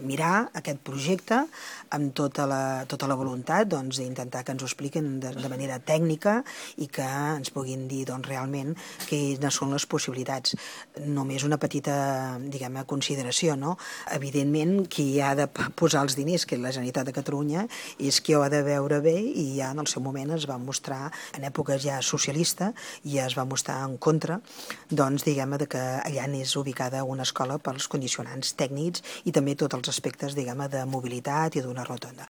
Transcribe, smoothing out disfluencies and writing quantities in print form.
mirar aquest projecte amb tota la voluntat d'intentar que ens ho expliquin de manera tècnica i que ens puguin dir realment quines són les possibilitats. Només una petita, diguem-ne, consideració, no? Evidentment, qui ha de posar els diners, que és la Generalitat de Catalunya, és qui ho ha de veure bé i ja en el seu moment es va mostrar, en època ja socialista, i es va mostrar en contra, diguem-ne, que allà n'és ubicada una escola pels condicionants tècnics i també tots els aspectes, diguem-ne, de mobilitat i d'una rotonda.